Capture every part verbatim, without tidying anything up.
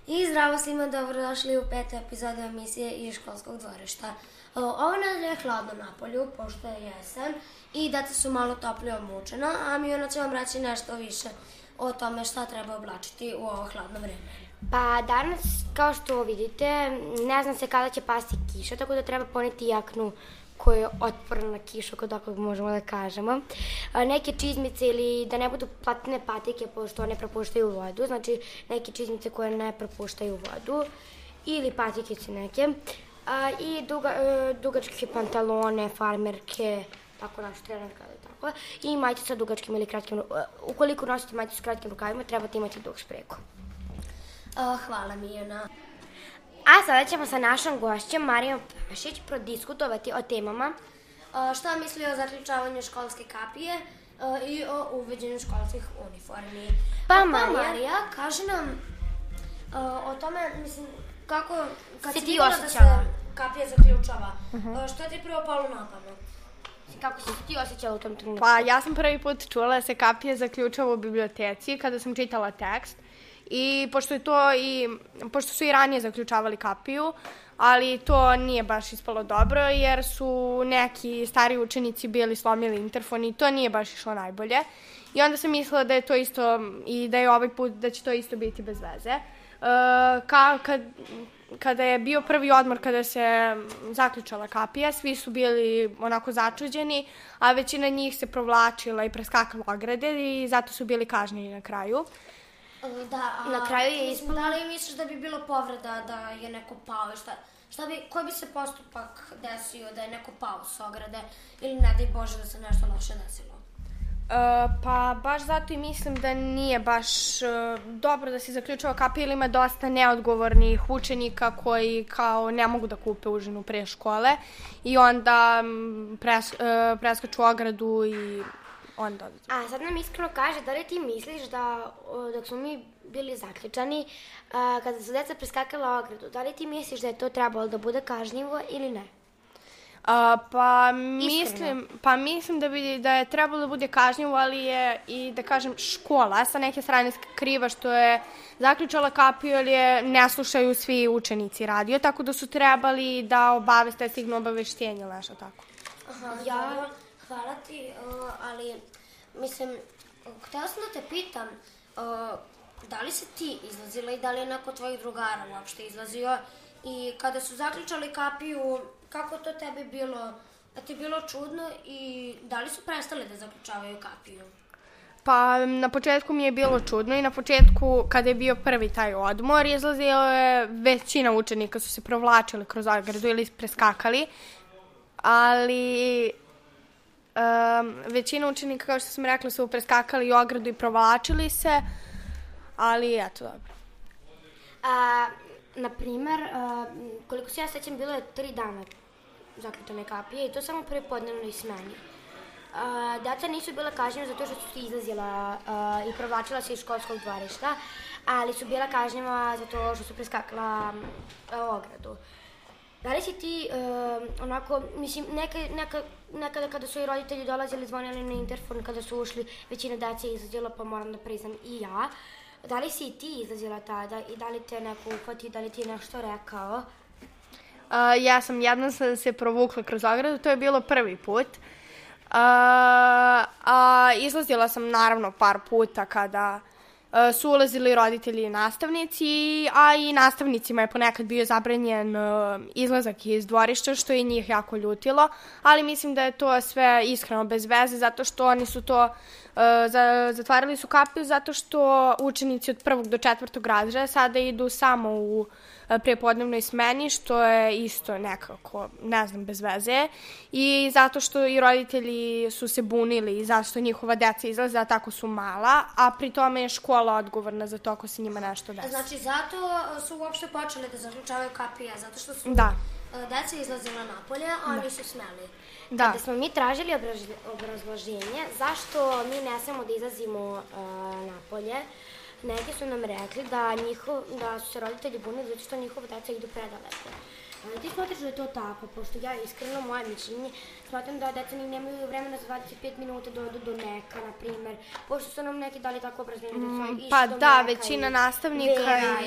I zdravo svima, dobrodošli u petu epizodu emisije iz školskog dvorišta. Ovo nedelje je hladno na polju, pošto je jesen i deca su malo toplije obučena, a Mijuna će vam reći nešto više o tome šta treba oblačiti u ovo hladno vreme. Pa danas, kao što vidite, ne znam se kada će pasti kiša, tako da treba poneti jaknu koja je otporna na kišu, ako tako možemo da kažemo. Neke čizmice ili da ne budu platine patike, pošto one propuštaju vodu, znači neke čizmice koje ne propuštaju vodu, ili patikice neke. I duga, dugačke pantalone, farmerke, tako naš trenerka ili tako. I majice sa dugačkim ili kratkim, ukoliko nosite majice sa kratkim rukavima, trebate imati dug špreku. Hvala Mijana. A sada ćemo sa našom gošćom Marijom Pašić prodiskutovati o temama. Šta misli o zaključavanju školske kapije i o uvođenju školskih uniformi. Pa, pa Marija, Marija, kaži nam o tome, mislim, kako, kad si si ti vidjela da osjećala? se kapija zaključava, uh-huh. Što je ti prvo palo na pamet? Kako si ti osjećala u tom trenutku? Pa ja sam prvi put čula da se kapija zaključava u biblioteci kada sam čitala tekst. I pošto je to i, pošto su i ranije zaključavali kapiju, ali to nije baš ispalo dobro jer su neki stari učenici bili slomili interfon i to nije baš išlo najbolje. I onda sam mislila da je to isto i da je ovaj put da će to isto biti bez veze. E, ka, kad, kada je bio prvi odmor kada se zaključala kapija, svi su bili onako začuđeni, a većina njih se provlačila i preskakala ograde i zato su bili kažnjeni na kraju. Da, a na kraju je ispalo... Da li misliš da bi bilo povreda da je neko pao? Šta, šta bi, koji bi se postupak desio da je neko pao s ograde ili ne daj Bože da se nešto loše desilo? Uh, pa baš zato i mislim da nije baš uh, dobro da se zaključava kapija ili ima dosta neodgovornih učenika koji kao ne mogu da kupe užinu pre škole i onda um, pres, uh, preskaču ogradu i onda... A sad nam iskreno kaže, da li ti misliš da dok smo mi bili zaključani, uh, kada su deca preskakala ogradu, da li ti misliš da je to trebalo da bude kažnjivo ili ne? Uh, pa, mislim, pa mislim da, bi, da je trebalo da bude kažnjivo, ali je i da kažem škola sa neke strane kriva što je zaključala kapiju, ali je ne slušaju svi učenici radio, tako da su trebali da obaveste stignu obaveštenje ili nešto tako. Aha, ja... Hvala ti, uh, ali, mislim, htjela sam da te pitam, uh, da li si ti izlazila i da li je neko tvojih drugara uopšte izlazio i kada su zaključali kapiju, kako to tebi bilo, da ti je bilo čudno i da li su prestali da zaključavaju kapiju? Pa na početku mi je bilo čudno i na početku kada je bio prvi taj odmor, izlazila je većina učenika su se provlačili kroz ogradu ili preskakali, ali... Um, većina učenika, kao što sam rekla, su preskakali ogradu i provlačili se, ali eto, dobro. A, naprimer, a, koliko se ja sećam, bilo je tri dana zaključane kapije i to samo prvi podnevnoj smeni. A, deca nisu bila kažnjena zato što su se izlazila a, i provlačila se iz školskog dvorišta, ali su bila kažnjena zato što su preskakala a, ogradu. Da li si ti, uh, onako, mislim, neka, neka, nekada kada su i roditelji dolazili, zvonili na interfon, kada su ušli, većina dece je izlazila, pa moram da priznam i ja. Da li si i ti izlazila tada i da li te neko uhvati, da li ti je nešto rekao? Uh, ja sam jednom sam se provukla kroz ogradu, to je bilo prvi put. Uh, a izlazila sam naravno par puta kada... Uh, su ulazili roditelji i nastavnici, a i nastavnicima je ponekad bio zabranjen uh, izlazak iz dvorišta, što je njih jako ljutilo, ali mislim da je to sve iskreno bez veze, zato što oni su to, uh, za, zatvarali su kapiju, zato što učenici od prvog do četvrtog razreda sada idu samo u prepodnevnoj smeni, što je isto nekako, ne znam, bez veze. I zato što i roditelji su se bunili i zašto njihova deca izlaze, a tako su mala, a pri tome je škola odgovorna za to ako se njima nešto desi. Znači, zato su uopšte počeli da zaključavaju kapije, zato što su da. deca izlazila napolje, a oni su smeli. Da. Kada smo mi tražili obrazloženje zašto mi ne smemo da izlazimo uh, napolje, neki su nam rekli da, njihov, da su se roditelji bunili zato što njihova deca idu predaleko. Ali ti smatraš da je to tako, pošto ja iskreno, moje mišljenje, smatram da deca ni nemaju vremena za dvadeset pet minuta da odu do neka, na primer, pošto su nam neki dali tako obrazloženje da su išli pa do da, neka. Većina nastavnika Vera,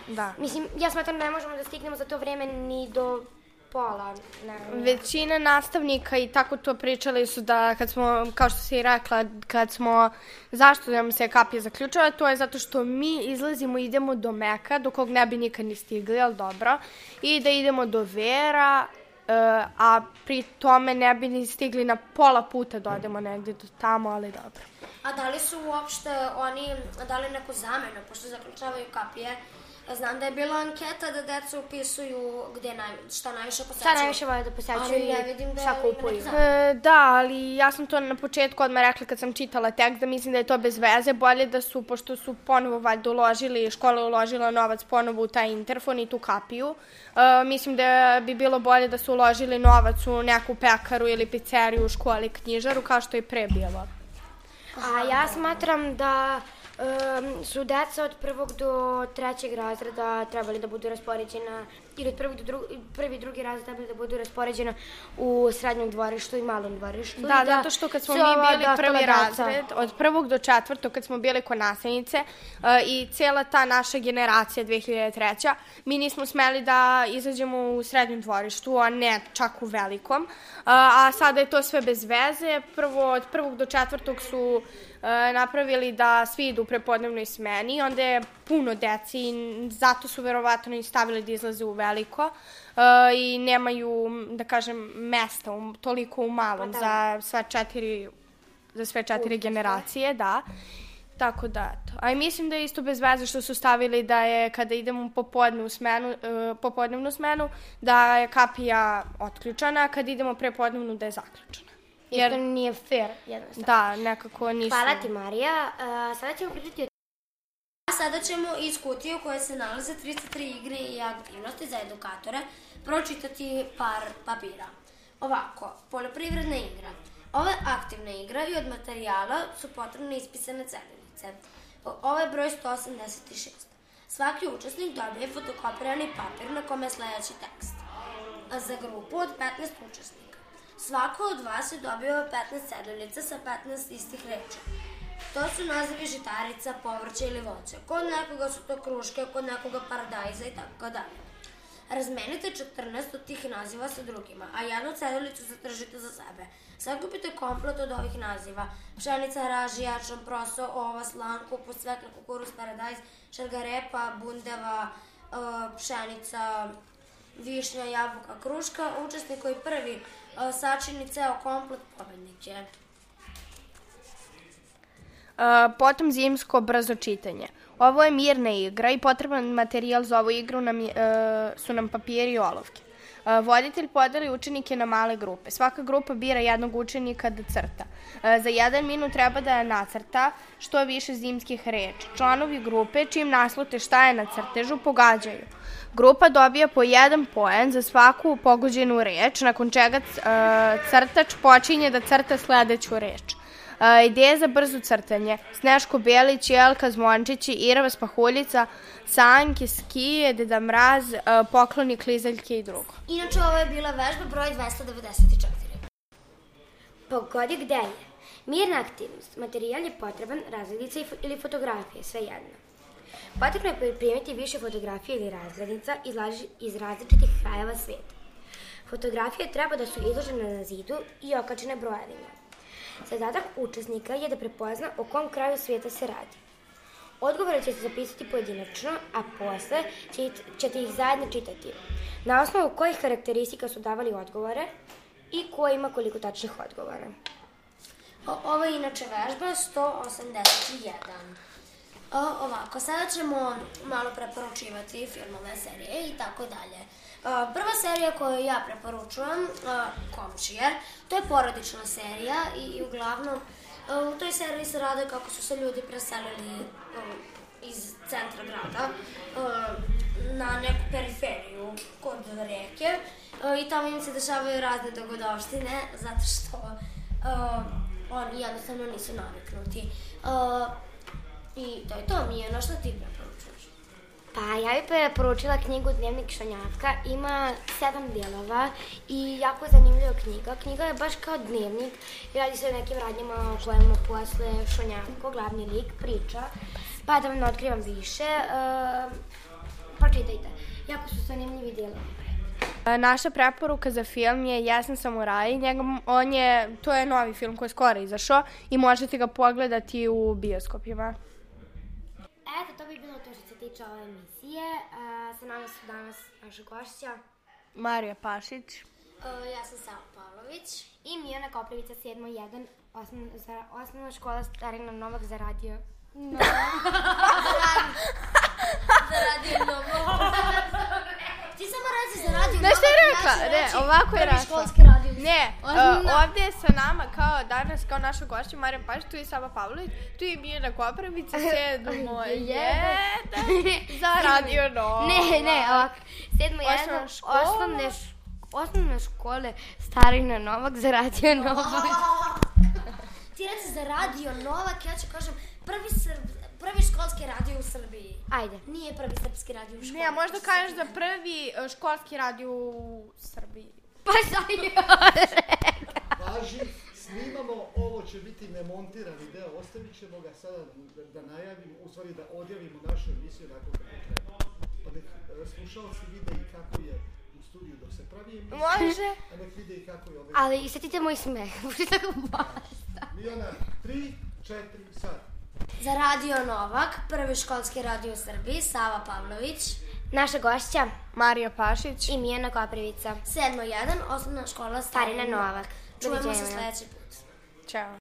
i... Da. Mislim, ja smatram da ne možemo da stignemo za to vreme ni do pola. Ne, Većina nastavnika i tako to pričali su da kad smo, kao što si i rekla, kad smo, zašto nam se kapija zaključala, to je zato što mi izlazimo i idemo do Meka, do kog ne bi nikad ni stigli, ali dobro, i da idemo do Vera, uh, a pri tome ne bi ni stigli na pola puta da odemo negdje do tamo, ali dobro. A da li su uopšte oni dali neku zamenu, pošto zaključavaju kapije? Znam da je bila anketa da deca upisuju gde naj, šta najviše posećuju. Šta najviše vole da posećuju i šta kupuju. E, da, ali ja sam to na početku odmah rekla kad sam čitala tekst, da mislim da je to bez veze. Bolje da su, pošto su ponovo valjda uložili, škola uložila novac ponovo u taj interfon i tu kapiju. E, mislim da bi bilo bolje da su uložili novac u neku pekaru ili pizzeriju u školi, knjižaru, kao što je pre bilo. A ja smatram da um, su deca od prvog do trećeg razreda trebali da budu raspoređena, ili od prvog do drugog, prvi i drugi razred trebali da budu raspoređena u srednjem dvorištu i malom dvorištu. Da, da zato što kad smo mi bili prvi razred, od prvog do četvrtog, kad smo bili kod nastavnice uh, i cijela ta naša generacija dve hiljade treće. mi nismo smeli da izađemo u srednjem dvorištu, a ne čak u velikom. Uh, a sada je to sve bez veze. Prvo, od prvog do četvrtog su E, napravili da svi idu u prepodnevnoj smeni, onda je puno deci i zato su verovatno i stavili da izlaze u veliko e, i nemaju, da kažem, mesta um, toliko u malom da. za sve četiri, za sve četiri generacije, da. Tako da, eto. A i mislim da je isto bez veze što su stavili da je kada idemo u popodnevnu smenu, e, popodnevnu smenu, da je kapija otključana, a kad idemo prepodnevnu da je zaključana. Jer to nije fair, jednostavno. Da, nekako nisu. Hvala ti, Marija. Uh, sada ćemo pričati o... A sada ćemo iz kutije u kojoj se nalaze tristo tri igre i aktivnosti za edukatore pročitati par papira. Ovako, poljoprivredna igra. Ove aktivne igre i od materijala su potrebne ispisane ceduljice. Ovo je broj sto osamdeset šest. Svaki učesnik dobije fotokopirani papir na kome je sledeći tekst. A za grupu od petnaest učesnika. Svako od vas je dobio petnaest ceduljica sa petnaest istih reči. To su nazivi žitarica, povrća ili voća. Kod nekoga su to kruške, kod nekoga paradajza i tako dalje. Razmenite četrnaest od tih naziva sa drugima, a jednu ceduljicu zadržite za sebe. Sakupite komplet od ovih naziva. Pšenica, raž, jačan, proso, ova, slan, kupus, cvekla, kukuruz, paradajz, šargarepa, bundeva, pšenica, višnja, jabuka, kruška. Učesnik koji prvi sačini ceo komplet pobednik je. Potom zimsko brzo čitanje. Ovo je mirna igra i potreban materijal za ovu igru nam je, su nam papiri i olovke. Voditelj podeli učenike na male grupe. Svaka grupa bira jednog učenika da crta. Za jedan minut treba da nacrta što više zimskih reči. Članovi grupe, čim naslute šta je na crtežu, pogađaju. Grupa dobija po jedan poen za svaku pogođenu reč, nakon čega crtač počinje da crta sledeću reč. Uh, ideje za brzo crtanje. Sneško Belić, Jelka Zvončići, Irava Spahuljica, Sanke, Skije, Deda Mraz, uh, Pokloni, Klizaljke i drugo. Inače, ovo je bila vežba broj dvesta devedeset četiri. Pogodi gde je. Mirna aktivnost. Materijal je potreban, razglednica ili fotografije, sve jedno. Potrebno je pripremiti više fotografija ili razglednica iz različitih krajeva sveta. Fotografije treba da su izložene na zidu i okačene brojevima. Zadatak učesnika je da prepozna o kom kraju svijeta se radi. Odgovore će se zapisati pojedinačno, a posle ćete ih zajedno čitati. Na osnovu kojih karakteristika su davali odgovore i ko ima koliko tačnih odgovora. O, ovo je inače vežba sto osamdeset jedan. O, ovako, sada ćemo malo preporučivati filmove, serije i tako dalje. Prva serija koju ja preporučujem, Komšijer, to je porodična serija i, i uglavnom u toj seriji se rade kako su se ljudi preselili iz centra grada na neku periferiju kod reke i tamo im se dešavaju razne dogodovštine zato što oni jednostavno nisu naviknuti. I to je to, Mijana, što ti preporučuješ? Pa ja bih preporučila knjigu Dnevnik Šonjavka, ima sedam dijelova i jako zanimljiva knjiga. Knjiga je baš kao dnevnik i radi se o nekim radnjama o kojima posle Šonjavko, glavni lik, priča. Pa da vam ne otkrivam više, uh, pa pročitajte. Jako su zanimljivi dijelovi. Naša preporuka za film je Jesen samuraj. Njega, on je, to je novi film koji je skoro izašao i možete ga pogledati u bioskopima. Eto, to bi bilo to što se tiče ove emisije. Uh, sa nama su danas naša gošća Marija Pašić. Uh, ja sam Sava Pavlović. I Mijana Koprivica, sedmo jedan, osnovna, za, osnovna škola Starina Novak za radio. No. Za radio Novak. Ti samo reci za radio Novak. Znaš šta je rekla? Ne, ovako je rekla. Školski radio. Ne, uh, ovdje je sa nama kao danas, kao naša gošća Marija Pašić, tu je Sava Pavlović, tu je Mijana Koprivica, sedmo jedan za radio Novak. Ne, ne, ovako. Sedmo jedan, osnovne škole. Osnovne škole Starina Novak za radio Novak. Ti reci za radio Novak, ja ću kažem prvi, srb, prvi školski radio u Srbiji. Ajde. Nije prvi srpski radio u školi. Ne, možda kažeš za prvi uh, školski radio u Srbiji. Pa šta je Važi, snimamo, ovo će biti nemontirani deo, ostavit ćemo ga sada da, da najavimo, u stvari da odjavimo našu emisiju nakon kako treba. Pa nek slušalci vide i kako je u studiju dok se pravi emisija. Može. A nek vide i kako je ovdje. Ali setite moj smeh, možete tako basta. Mijana, tri, četiri, sad. Za radio Novak, prvi školski radio u Srbiji, Sava Pavlović. Naša gošća Marija Pašić i Mijana Koprivica. sedmo jedan, osnovna škola Starina Novak. Čujemo se sljedeći put. Ćao.